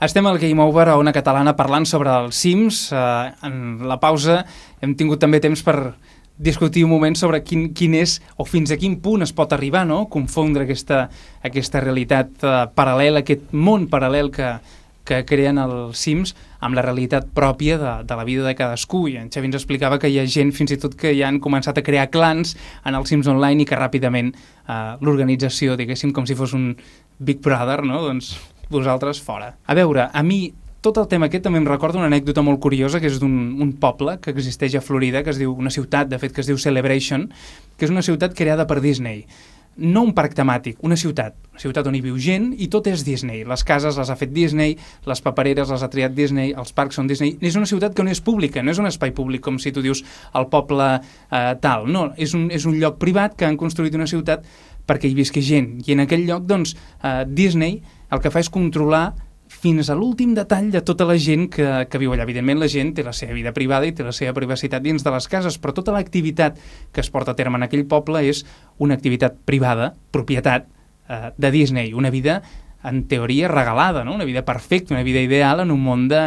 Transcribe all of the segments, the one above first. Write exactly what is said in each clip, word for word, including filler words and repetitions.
Estem al Game Over a Ona Catalana parlant sobre els Sims. Uh, en la pausa hem tingut també temps per discutir un moment sobre quin, quin és o fins a quin punt es pot arribar, no? Confondre aquesta, aquesta realitat uh, paral·lela, aquest món paral·lel que, que creen els Sims amb la realitat pròpia de, de la vida de cadascú. I en Xavi ens explicava que hi ha gent fins i tot que ja han començat a crear clans en els Sims Online i que ràpidament uh, l'organització, diguéssim, com si fos un Big Brother, no? Doncs vosaltres fora. A veure, a mi tot el tema aquest també em recorda una anècdota molt curiosa que és d'un un poble que existeix a Florida, que es diu, una ciutat, de fet, que es diu Celebration, que és una ciutat creada per Disney. No un parc temàtic, una ciutat. Una ciutat on hi viu gent i tot és Disney. Les cases les ha fet Disney, les papereres les ha triat Disney, els parcs són Disney. És una ciutat que no és pública, no és un espai públic com si tu dius el poble eh, tal. No, és un, és un lloc privat que han construït una ciutat perquè hi visqui gent. I en aquell lloc, doncs, eh, Disney el que fa és controlar fins a l'últim detall de tota la gent que, que viu allà. Evidentment, la gent té la seva vida privada i té la seva privacitat dins de les cases, però tota l'activitat que es porta a terme en aquell poble és una activitat privada, propietat eh, de Disney, una vida, en teoria, regalada, no? Una vida perfecta, una vida ideal en un món de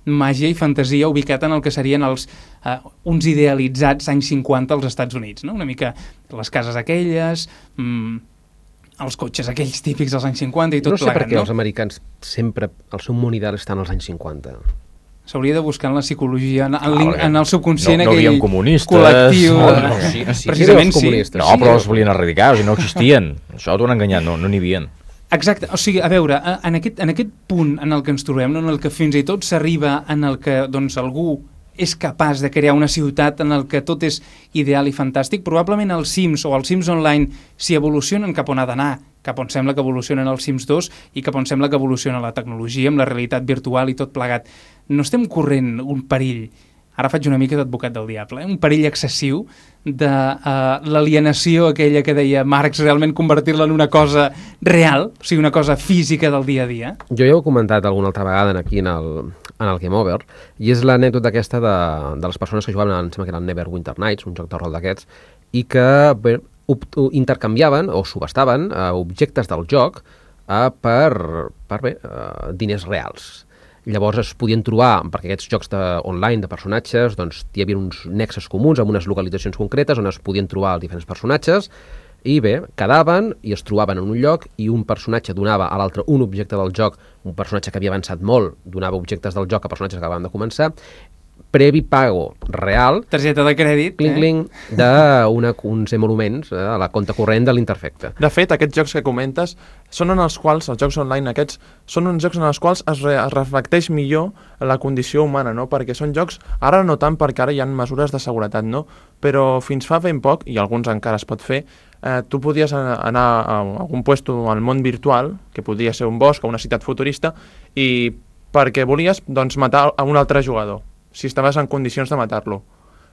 màgia i fantasia ubicat en el que serien els, eh, uns idealitzats anys cinquanta als Estats Units, no? Una mica les cases aquelles... Mm, els cotxes aquells típics dels anys cinquanta i tot plegat, no? No sé per què els americans sempre, el seu món ideal està als anys cinquanta. S'hauria de buscar en la psicologia, en, en, en el subconscient, no, no aquell comunistes, col·lectiu. No, no, no, sí, sí, precisament sí. sí. No, però els volien erradicar, o sigui, no existien. Això t'ho han enganyat, no n'hi no havien. Exacte, o sigui, a veure, en aquest, en aquest punt en el que ens trobem, no, en el que fins i tot s'arriba en el que doncs, algú és capaç de crear una ciutat en el que tot és ideal i fantàstic, probablement els Sims o els Sims Online s'hi evolucionen cap on ha d'anar, cap on sembla que evolucionen els Sims dos i cap on sembla que evoluciona la tecnologia amb la realitat virtual i tot plegat. No estem corrent un perill, ara faig una mica d'advocat del diable, eh? un perill excessiu de uh, l'alienació aquella que deia Marx, realment convertir-la en una cosa real, o sigui, una cosa física del dia a dia. Jo ja ho he comentat alguna altra vegada aquí en el, en el Game Over, i és l'anècdota aquesta de, de les persones que jugaven, em sembla que era el Neverwinter Nights, un joc de rol d'aquests, i que bé, intercanviaven o subestaven eh, objectes del joc eh, per, per bé, eh, diners reals. Llavors es podien trobar, perquè aquests jocs de, online de personatges, doncs hi havia uns nexes comuns amb unes localitzacions concretes on es podien trobar els diferents personatges i bé, quedaven i es trobaven en un lloc i un personatge donava a l'altre un objecte del joc, un personatge que havia avançat molt donava objectes del joc a personatges que acabaven de començar, previ pago real, targeta de crèdit, cling, cling, eh? d'uns emoluments eh, a la compte corrent de l'interfecte. De fet, aquests jocs que comentes són en els quals, els jocs online aquests, són uns jocs en els quals es, re, es reflecteix millor la condició humana, no? Perquè són jocs, ara no tant perquè ara hi ha mesures de seguretat, no? Però fins fa ben poc, i alguns encara es pot fer, eh, tu podies anar a algun puesto al món virtual, que podria ser un bosc o una ciutat futurista, i perquè volies doncs, matar a un altre jugador, si estaves en condicions de matar-lo.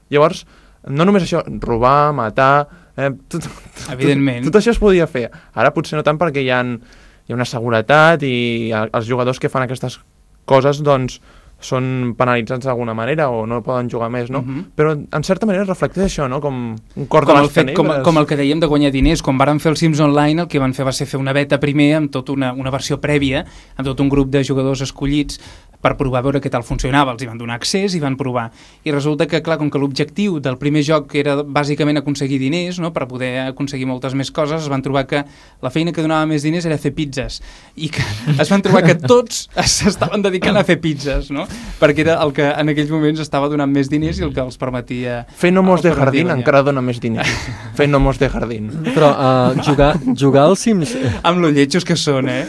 Llavors, no només això, robar, matar... Eh, tot, Evidentment. Tot, tot això es podia fer. Ara potser no tant perquè hi ha, hi ha una seguretat i els jugadors que fan aquestes coses doncs són penalitzats d'alguna manera o no poden jugar més, no? Uh-huh. Però en certa manera reflecteix això, no? Com un cor de les tenebres. Com, com el que dèiem de guanyar diners. Quan varen fer el Sims Online, el que van fer va ser fer una beta primer amb tota una, una versió prèvia, amb tot un grup de jugadors escollits per provar a veure què tal funcionava. Els hi van donar accés i van provar. I resulta que, clar, com que l'objectiu del primer joc era bàsicament aconseguir diners, no?, per poder aconseguir moltes més coses, es van trobar que la feina que donava més diners era fer pizzas. I que es van trobar que tots s'estaven dedicant a fer pizzas, no?, perquè era el que en aquells moments estava donant més diners i el que els permetia... Fer gnomos de jardín encara dona més diners. Fer gnomos de jardín. Però uh, jugar, jugar als Sims... Amb lo lletjos que són, eh?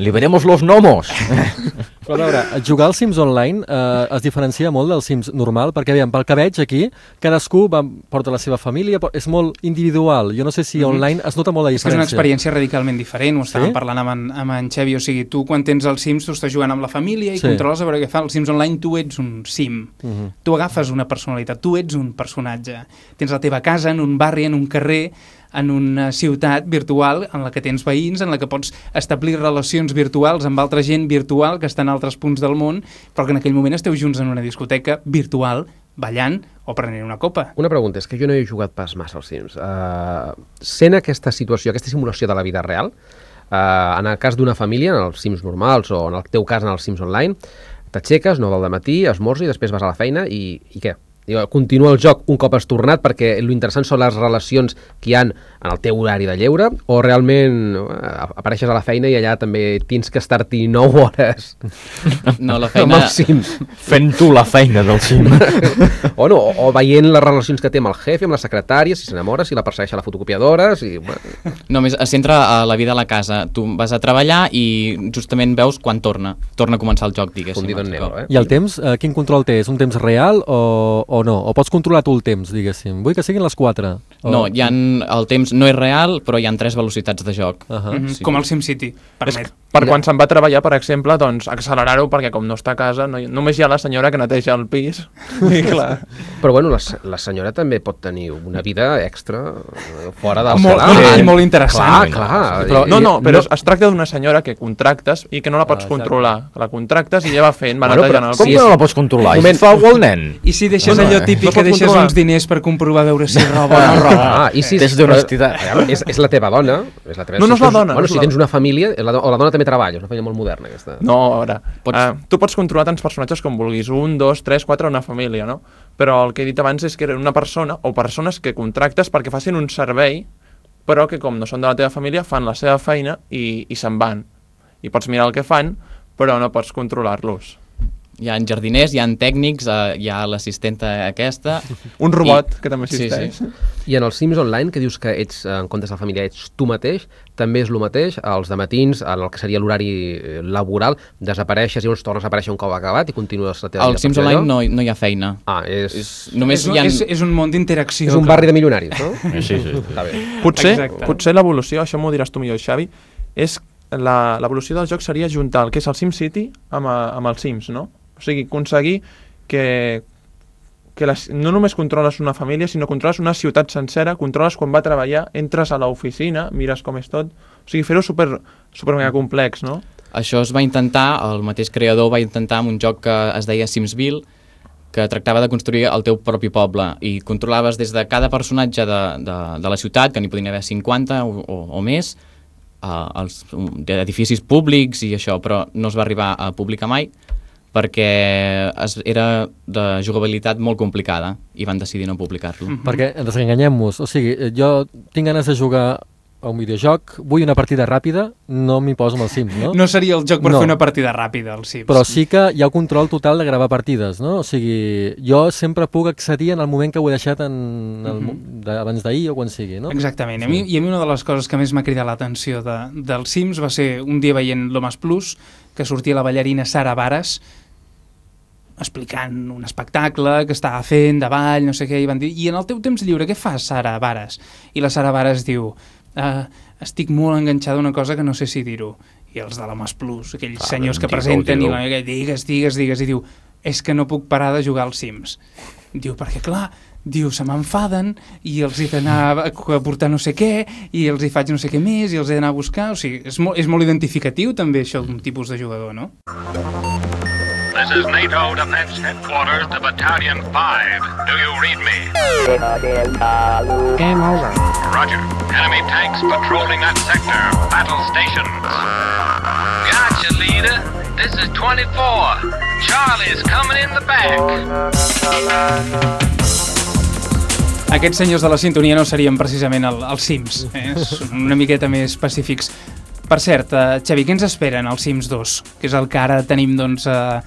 Liberemos los gnomos! Però a veure, jugar als Sims Online eh, es diferencia molt dels Sims normal, perquè aviam, pel que veig aquí, cadascú va, porta la seva família, és molt individual. Jo no sé si online es nota molt la diferència. És diferència. que és una experiència radicalment diferent, ho estàvem sí? parlant amb en, amb en Xavi, o sigui, tu quan tens els Sims, tu estàs jugant amb la família i sí. controles a veure què fa. Els Sims Online tu ets un Sim, uh -huh. tu agafes una personalitat, tu ets un personatge. Tens la teva casa en un barri, en un carrer, en una ciutat virtual en la que tens veïns, en la que pots establir relacions virtuals amb altra gent virtual que està en altres punts del món, però que en aquell moment esteu junts en una discoteca virtual, ballant o prenent una copa. Una pregunta, és que jo no he jugat pas massa als Sims. Uh, sent aquesta situació, aquesta simulació de la vida real, Uh, en el cas d'una família, en els Sims normals o en el teu cas en els Sims Online, t'aixeques, nou del matí, esmorzes i després vas a la feina i, i què? Continua el joc un cop has tornat perquè l'interessant són les relacions que hi han en el teu horari de lleure o realment apareixes a la feina i allà també tens que estar-t'hi nou hores no, la feina... amb els Sims. Fent tu la feina del Sim. o no, o, o veient les relacions que té amb el jefe, amb la secretària, si s'enamora, si la persegueix a la fotocopiadora, si... Bueno. Només es centra a la vida a la casa. Tu vas a treballar i justament veus quan torna. Torna a començar el joc, diguéssim. Fundido en negro, eh? I el temps, eh, quin control té? És un temps real o, o no? O pots controlar tu el temps, diguéssim? Vull que siguin les quatre. O... No, hi ha, el temps no és real, però hi ha tres velocitats de joc. Uh -huh. Mm -hmm. Sí. Com el SimCity, permet. Per quan se'n va a treballar, per exemple, doncs accelerar-ho perquè com no està a casa, no hi, només hi ha la senyora que neteja el pis. I clar. Però bueno, la, la senyora també pot tenir una vida extra fora del Molt, salari. molt, molt interessant. Clar, clar. Però, no, no, però no... es tracta d'una senyora que contractes i que no la pots Ah, controlar. La contractes i ja va fent, va Bueno, netejant però el com pis. que no la pots controlar? Moment. I fa algú el nen? I si deixes Bueno, allò eh, típic no que pot deixes controlar. uns diners per comprovar veure si roba o no roba? Ah, i si, Test d'honestitat. però, És, és la teva dona. És la teva, No, no és si la tens- dona, Bueno, no és si la tens dona. una família, la, do- o la dona també treballa, és una família molt moderna aquesta. No, a veure, Pots- uh, tu pots controlar tants personatges com vulguis, un, dos, tres, quatre, una família, no? Però el que he dit abans és que era una persona o persones que contractes perquè facin un servei, però que com no són de la teva família, fan la seva feina i, i se'n van. I pots mirar el que fan, però no pots controlar-los. Hi ha jardiners, hi ha tècnics, eh, hi ha l'assistenta aquesta... Un robot, I- que també Sí, existeix. sí. I en els Sims Online, que dius que ets, en comptes de la família, ets tu mateix, també és el mateix, els dematins, en el que seria l'horari eh, laboral, desapareixes i llavors tornes a aparèixer un cop acabat i continues la teva vida. Al Sims a partir Online d'allò? no, no hi ha feina. Ah, és... És, només És un, hi ha... és, és un món d'interacció. És un que- barri de milionaris, no? Sí, sí, sí. Està bé. Potser, Exacte. potser l'evolució, això m'ho diràs tu millor, Xavi, és la- l'evolució del joc seria juntar el que és el SimCity amb, a- amb els Sims, no? O sigui, aconseguir que, que les, no només controles una família, sinó controles una ciutat sencera, controles quan va a treballar, entres a l'oficina, mires com és tot... O sigui, fer-ho super, super mega complex, no? Això es va intentar, el mateix creador va intentar amb un joc que es deia Simsville, que tractava de construir el teu propi poble i controlaves des de cada personatge de, de, de la ciutat, que n'hi podien haver cinquanta o, o, o més, uh, els edificis públics i això, però no es va arribar a publicar mai perquè es, era de jugabilitat molt complicada i van decidir no publicar-lo. Mhm. Perquè, desenganyem-nos, o sigui, jo tinc ganes de jugar a un videojoc, vull una partida ràpida, no m'hi poso amb els Sims, no? No seria el joc per No. fer una partida ràpida, al Sims. Però sí que hi ha un control total de gravar partides, no? O sigui, jo sempre puc accedir en el moment que ho he deixat en el, Mhm. de, abans d'ahir o quan sigui, no? Exactament. A mi, I a mi una de les coses que més m'ha cridat l'atenció de, dels Sims va ser un dia veient l'Homes Plus, que sortia la ballarina Sara Bares explicant un espectacle que estava fent de ball, no sé què, i van dir, i en el teu temps lliure què fas, Sara Bares? I la Sara Bares diu, uh, estic molt enganxada a una cosa que no sé si dir-ho. I els de l'Homes Plus, aquells Ah, senyors que digue-ho, presenten, digue-ho. i la meva, digues, digues, digues, i diu, és que no puc parar de jugar als Sims. Diu, perquè clar, diu, se m'enfaden i els he d'anar a a portar no sé què i els hi faig no sé què més i els he d'anar a buscar. O sigui, és molt, és molt identificatiu també això d'un tipus de jugador, no? This is NATO Defense Headquarters to Battalion five. Do you read me? Game over. Roger. Enemy tanks patrolling that sector. Battle stations. Gotcha, leader. This is twenty-four. Charlie's coming in the back. Aquests senyors de la sintonia no serien precisament el, els Sims, eh? Són una miqueta més pacífics. Per cert, uh, Xavi, què ens esperen al Sims dos? Que és el que ara tenim, doncs, uh,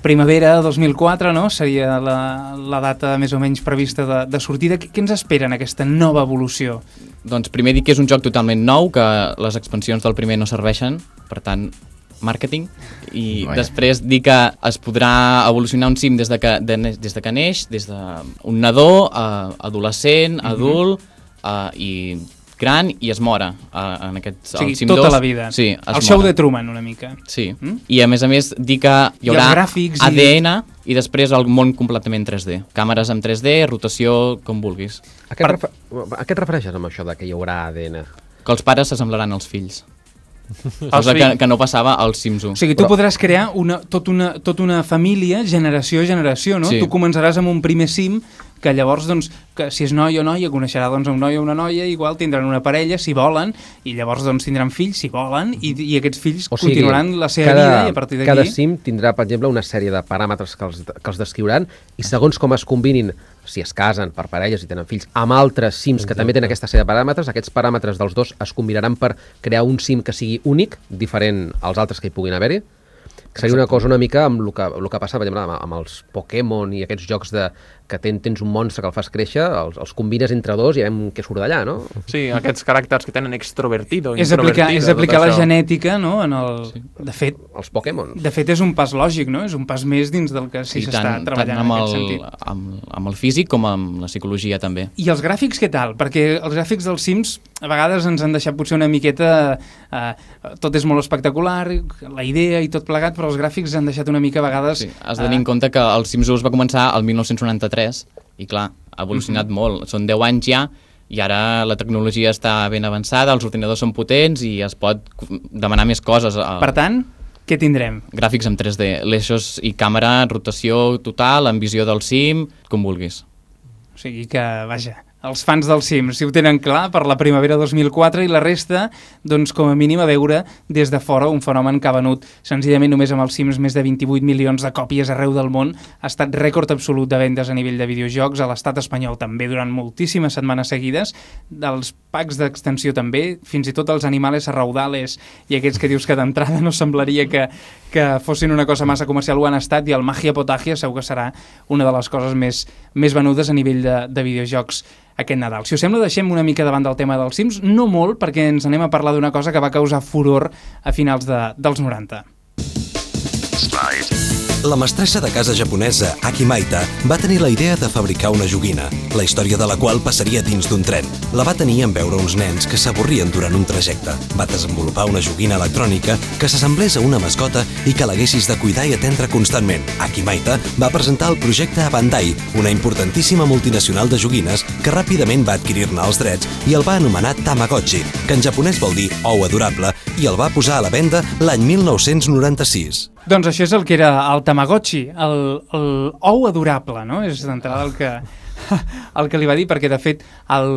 primavera dos mil quatre, no? Seria la, la data més o menys prevista de, de sortida. Què, què ens espera en aquesta nova evolució? Doncs primer dir que és un joc totalment nou, que les expansions del primer no serveixen, per tant, màrqueting, i Vaja. després dir que es podrà evolucionar un sim des de que, de, des de que neix, des d'un nadó, a adolescent, adult, uh, i gran, i es mora. Uh, en aquest, O sigui, el Sim tota dos, la vida. Sí, es El show mora. de Truman, una mica. Sí, Mm? i a més a més dir que hi I els haurà gràfics i- A D N i després el món completament tres D. Càmeres en tres D, rotació, com vulguis. A què, et refer... a què et refereixes amb això de que hi haurà A D N? Que els pares s'assemblaran als fills. Els Cosa que, fills. que no passava als Sims u. O sigui, tu Però- podràs crear una, tot una, tota una família, generació a generació, no? Sí. Tu començaràs amb un primer sim que llavors, doncs, que si és noi o noia, coneixerà doncs, un noi o una noia, igual tindran una parella, si volen, i llavors doncs, tindran fills, si volen, i, i aquests fills o sigui, continuaran la seva cada, vida, i a partir d'aquí... Cada sim tindrà, per exemple, una sèrie de paràmetres que els, que els descriuran, i segons com es combinin, si es casen per parelles i tenen fills, amb altres sims que també tenen aquesta sèrie de paràmetres, aquests paràmetres dels dos es combinaran per crear un sim que sigui únic, diferent als altres que hi puguin haver-hi. Seria una cosa una mica amb el que, el que passa, per exemple, amb, amb els Pokémon i aquests jocs de, que ten, tens un monstre que el fas créixer, els, els combines entre dos i veiem què surt d'allà, no? Sí, aquests caràcters que tenen extrovertido, és aplicar, és aplicar la genètica, no? En el... Sí. De fet... Els Pokémon. De fet, és un pas lògic, no? És un pas més dins del que sí, s'està treballant en aquest el, sentit. Amb, amb el físic com amb la psicologia, també. I els gràfics, què tal? Perquè els gràfics dels Sims a vegades ens han deixat potser una miqueta... Eh, tot és molt espectacular, la idea i tot plegat, però els gràfics han deixat una mica a vegades... Sí, has de tenir en compte que el Sims u es va començar el mil nou-cents noranta-tres i clar, ha evolucionat Mm-hmm. molt. Són deu anys ja i ara la tecnologia està ben avançada, els ordinadors són potents i es pot demanar més coses. Per tant, què tindrem? Gràfics en tres D, l'eixos i càmera, rotació total, amb visió del Sim, com vulguis. O sigui que, vaja, els fans del Sims, si ho tenen clar, per la primavera dos mil quatre, i la resta, doncs com a mínim a veure des de fora un fenomen que ha venut senzillament només amb els Sims més de vint-i-vuit milions de còpies arreu del món, ha estat rècord absolut de vendes a nivell de videojocs, a l'estat espanyol també durant moltíssimes setmanes seguides, dels packs d'extensió també, fins i tot els animales raudales i aquests que dius que d'entrada no semblaria que, que fossin una cosa massa comercial, ho han estat, i el Magia Potagia segur que serà una de les coses més, més venudes a nivell de, de videojocs aquest Nadal. Si us sembla, deixem una mica davant del tema dels Sims, no molt, perquè ens anem a parlar d'una cosa que va causar furor a finals de, dels noranta. La mestressa de casa japonesa Aki Maita va tenir la idea de fabricar una joguina, la història de la qual passaria dins d'un tren. La va tenir en veure uns nens que s'avorrien durant un trajecte. Va desenvolupar una joguina electrònica que s'assemblés a una mascota i que l'haguessis de cuidar i atendre constantment. Aki Maita va presentar el projecte a Bandai, una importantíssima multinacional de joguines que ràpidament va adquirir-ne els drets i el va anomenar Tamagotchi, que en japonès vol dir ou adorable, i el va posar a la venda l'any mil nou-cents noranta-sis. Doncs això és el que era el Tamagotchi, el, el ou adorable, no? És d'entrada el que, el que li va dir, perquè de fet el,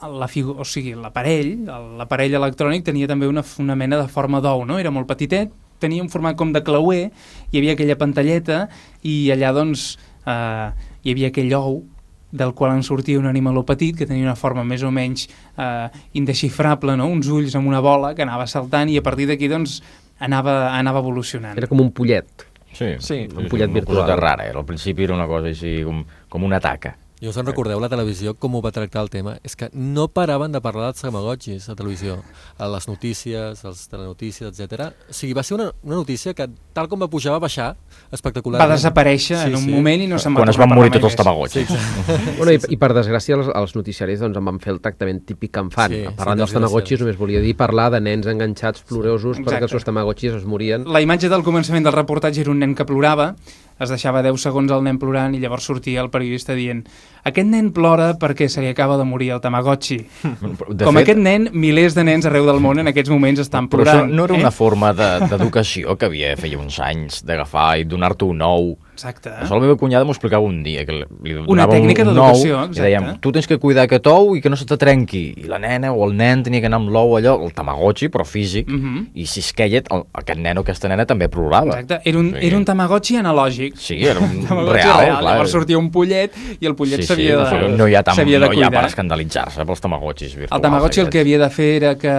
la figu, o sigui, l'aparell, l'aparell electrònic tenia també una, una mena de forma d'ou, no? Era molt petitet, tenia un format com de clauer, hi havia aquella pantalleta i allà doncs eh, hi havia aquell ou del qual en sortia un animaló petit que tenia una forma més o menys eh, indesxifrable, no? Uns ulls amb una bola que anava saltant i a partir d'aquí doncs anava, anava evolucionant. Era com un pollet. Sí, sí. Un pollet virtual. Una cosa rara, era. Al principi era una cosa així com, com una taca. I us en recordeu la televisió com ho va tractar el tema? És que no paraven de parlar dels Tamagotchis a televisió, a les notícies, als telenotícies, etcètera. O sigui, va ser una, una notícia que, tal com va pujar, va baixar espectacularment. Va desaparèixer sí, en un sí. moment i no se'n va Quan tornar es van morir tots els Tamagotchis. Sí, bueno, i, I per desgràcia els, els noticiaris doncs, en van fer el tractament típic que en fan. Sí, Parlant sí, dels Tamagotchis només volia dir parlar de nens enganxats plorosos perquè els seus Tamagotchis es morien. La imatge del començament del reportatge era un nen que plorava, es deixava deu segons el nen plorant i llavors sortia el periodista dient aquest nen plora perquè se li acaba de morir el Tamagotchi. De Com fet, aquest nen, milers de nens arreu del món en aquests moments estan plorant. Però això no era eh? una forma d'educació de, que havia feia uns anys d'agafar i donar-te un ou. Exacte. Això la meva cunyada m'ho explicava un dia, que li donava una tècnica d'educació, exacte. I dèiem, tu tens que cuidar aquest ou i que no se te trenqui. I la nena o el nen tenia que anar amb l'ou allò, el Tamagotchi, però físic, uh -huh. i si es queia, el, aquest nen o aquesta nena també plorava. Exacte, era un, sí. era un Tamagotchi analògic. Sí, era un real, real, clar. Llavors sortia un pollet i el pollet sí, s'havia sí, de, no hi ha, tam, de no hi ha cuidar. per escandalitzar-se pels Tamagotchis virtuals. El Tamagotchi aquests. el que havia de fer era que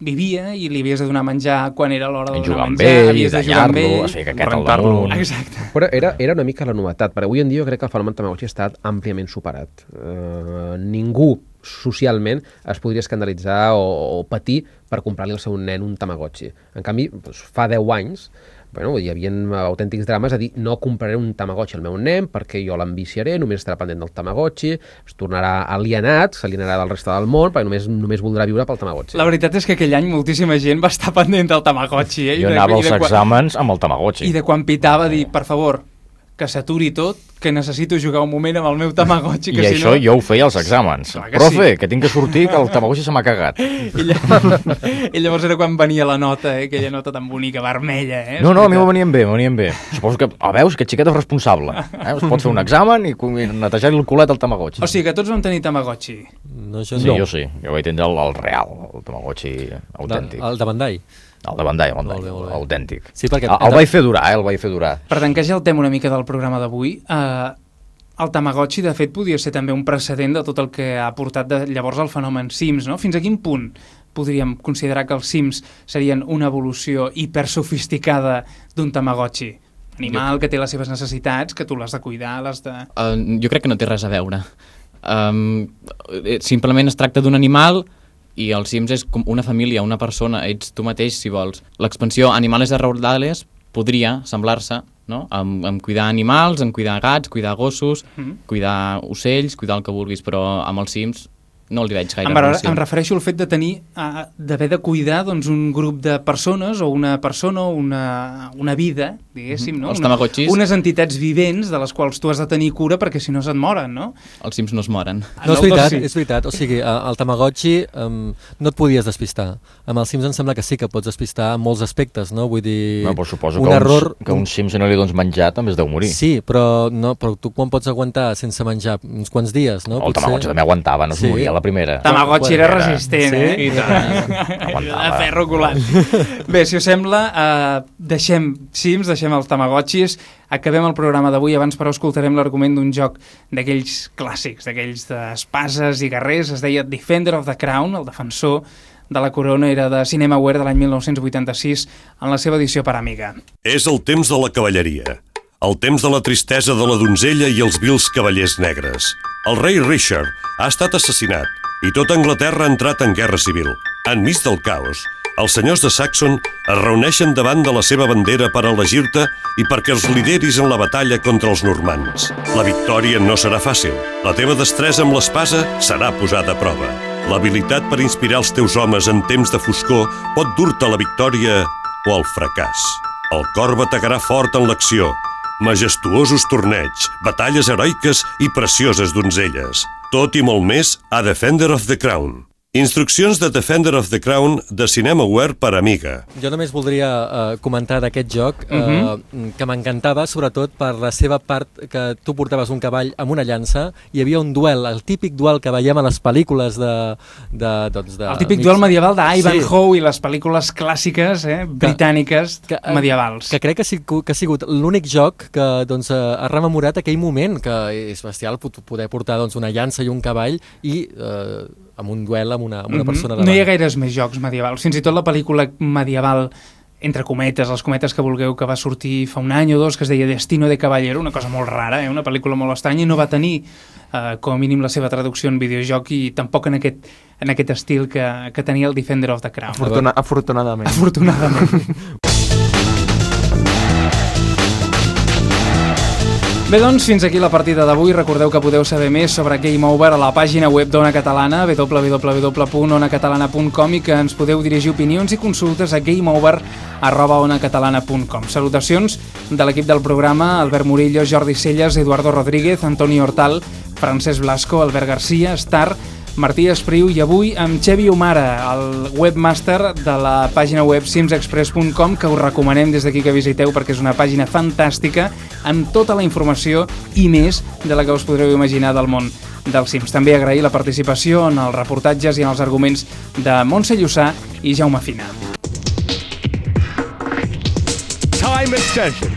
vivia i li havies de donar menjar quan era l'hora de donar menjar, ell, havies de jugar amb ell, es feia caqueta al damunt. Exacte. Però era, era una mica la novetat, perquè avui en dia jo crec que el fenomen Tamagotchi ha estat àmpliament superat. Uh, ningú socialment es podria escandalitzar o, o patir per comprar-li al seu nen un Tamagotchi. En canvi, doncs, fa deu anys bueno, hi havia autèntics drames a dir no compraré un Tamagotchi al meu nen perquè jo l'enviciaré, només estarà pendent del Tamagotchi, es tornarà alienat, s'alienarà del reste del món perquè només, només voldrà viure pel Tamagotchi. La veritat és que aquell any moltíssima gent va estar pendent del Tamagotchi. Eh? Jo I de, anava i als de, exàmens amb el Tamagotchi. I de quan pitava dir, per favor, que s'aturi tot, que necessito jugar un moment amb el meu Tamagotchi. I que això si no... jo ho feia als exàmens. Clar que Profe, sí. que tinc que sortir, que el Tamagotchi se m'ha cagat. I, llavors, I llavors era quan venia la nota, eh? Aquella nota tan bonica, vermella. Eh? No, no, a mi m'ho venien bé, m'ho venien bé. Suposo que, ah, veus, aquest xiquet és responsable. Eh? Es pot fer un examen i netejar-li el culet al Tamagotchi. O sigui que tots vam tenir Tamagotchi. No, jo Sí, no. jo sí. Jo vaig tindre el, el real, el Tamagotchi autèntic. El de Bandai. El de Bandai, el Molt Bandai, bé, molt bé. autèntic. Sí, perquè... El, el vaig fer durar, eh? El vaig fer durar. Per tancar ja el tema una mica del programa d'avui, eh, el Tamagotchi, de fet, podia ser també un precedent de tot el que ha portat de, llavors el fenomen Sims, no? Fins a quin punt podríem considerar que els Sims serien una evolució hipersofisticada d'un Tamagotchi? Animal que té les seves necessitats, que tu l'has de cuidar, l'has de... Uh, jo crec que no té res a veure. Um, simplement es tracta d'un animal i el Sims és com una família, una persona, ets tu mateix si vols. L'expansió Animales Arraudales podria semblar-se, no? En, en cuidar animals, en cuidar gats, cuidar gossos, Mm. cuidar ocells, cuidar el que vulguis, però amb els Sims no li veig gaire Em, relació. em refereixo al fet de tenir, uh, d'haver de cuidar doncs, un grup de persones o una persona o una, una vida, diguéssim, no? Els Una, Tamagotchis. unes entitats vivents de les quals tu has de tenir cura perquè si no se't moren, no? Els Sims no es moren. No, és el veritat, dos sí. és veritat. O sigui, eh, el Tamagotchi um, no et podies despistar. Amb els Sims em sembla que sí que pots despistar en molts aspectes, no? Vull dir, No, però suposo un que, error... uns, que un sim si no li dones menjar també es deu morir. Sí, però, no, però tu quan pots aguantar sense menjar uns quants dies, no? El Tamagotchi també aguantava, no es Sí. moria a la primera. Tamagotchi era Era- resistent, Sí? eh? I tant. Aguantava. De ferro colat. Bé, si us sembla, eh, deixem Sims, deixem els Tamagotchis, acabem el programa d'avui, abans però escoltarem l'argument d'un joc d'aquells clàssics, d'aquells d'espases i guerrers, es deia Defender of the Crown, el defensor de la corona, era de Cinemaware de l'any mil nou-cents vuitanta-sis en la seva edició per Amiga. És el temps de la cavalleria, el temps de la tristesa de la donzella i els vils cavallers negres. El rei Richard ha estat assassinat i tota Anglaterra ha entrat en guerra civil. Enmig del caos, els senyors de Saxon es reuneixen davant de la seva bandera per elegir-te i perquè els lideris en la batalla contra els normands. La victòria no serà fàcil. La teva destresa amb l'espasa serà posada a prova. L'habilitat per inspirar els teus homes en temps de foscor pot dur-te a la victòria o al fracàs. El cor bategarà fort en l'acció. Majestuosos torneigs, batalles heroiques i precioses donzelles. Tot i molt més a Defender of the Crown. Instruccions de Defender of the Crown de Cinemaware per Amiga. Jo només voldria uh, comentar d'aquest joc uh, Mhm. que m'encantava, sobretot per la seva part que tu portaves un cavall amb una llança, hi havia un duel, el típic duel que veiem a les pel·lícules de... de, doncs de El típic mig- duel medieval d'Ivanhoe Sí. i les pel·lícules clàssiques, eh, britàniques, que, eh, medievals. Que crec que, sí, que ha sigut l'únic joc que doncs, eh, ha rememorat aquell moment, que és bestial pot- poder portar doncs, una llança i un cavall i eh, amb un duel amb una, amb una Mhm. persona No davant. hi ha gaires més jocs medievals. Fins i tot la pel·lícula medieval, entre cometes, les cometes que vulgueu, que va sortir fa un any o dos, que es deia Destino de Caballero, una cosa molt rara, eh? Una pel·lícula molt estranya, i no va tenir eh, com a mínim la seva traducció en videojoc i tampoc en aquest, en aquest estil que, que tenia el Defender of the Crown. Afortuna afortunadament. Afortunadament. Bé, doncs, fins aquí la partida d'avui. Recordeu que podeu saber més sobre Game Over a la pàgina web d'Ona Catalana, w w w punt ona catalana punt com, i que ens podeu dirigir opinions i consultes a gameover arroba onacatalana punt com. Salutacions de l'equip del programa: Albert Murillo, Jordi Celles, Eduardo Rodríguez, Antoni Hortal, Francesc Blasco, Albert Garcia, Star, Martí Espriu, i avui amb Xevi Omara, el webmaster de la pàgina web sims express punt com, que us recomanem des d'aquí que visiteu perquè és una pàgina fantàstica amb tota la informació i més de la que us podreu imaginar del món dels Sims. També agrair la participació en els reportatges i en els arguments de Montse Llussà i Jaume Fina. Time extension.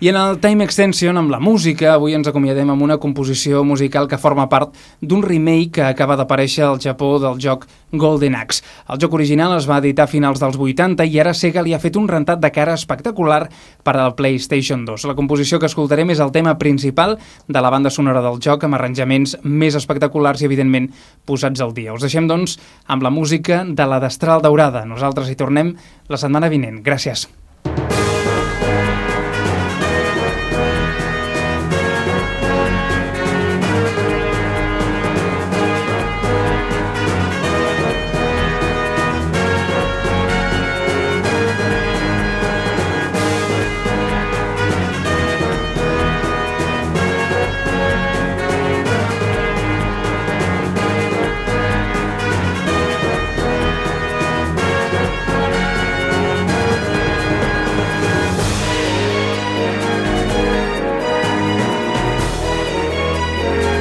I en el Time Extension, amb la música, avui ens acomiadem amb una composició musical que forma part d'un remake que acaba d'aparèixer al Japó del joc Golden Axe. El joc original es va editar a finals dels vuitanta i ara Sega li ha fet un rentat de cara espectacular per al PlayStation dos. La composició que escoltarem és el tema principal de la banda sonora del joc, amb arranjaments més espectaculars i, evidentment, posats al dia. Us deixem, doncs, amb la música de la Destral Daurada. Nosaltres hi tornem la setmana vinent. Gràcies.